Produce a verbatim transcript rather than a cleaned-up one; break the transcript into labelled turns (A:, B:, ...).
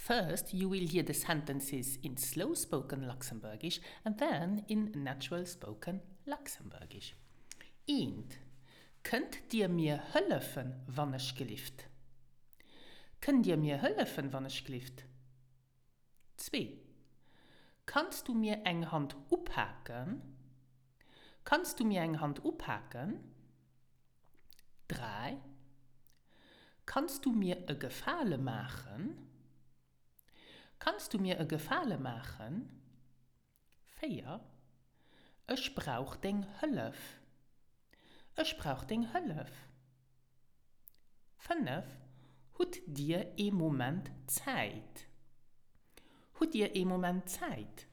A: First, you will hear the sentences in slow spoken Luxembourgish and then in natural spoken Luxembourgish. Eent. Kënnt Dir mir hëllefen, wannechgelift? Kënnt Dir mir hëllefen, wannechgelift? Zwee. Kanns du mir eng Hand upaken? Kanns du mir eng Hand upaken? Dräi. Kanns du mir e Gefale maachen? Kanns du mir e Gefale maachen? Véier. Ech brauch deng Hëllef. Ech brauch deng Hëllef. Fënnef. Hutt Dir ee Moment Zäit? Hutt Dir ee Moment Zäit?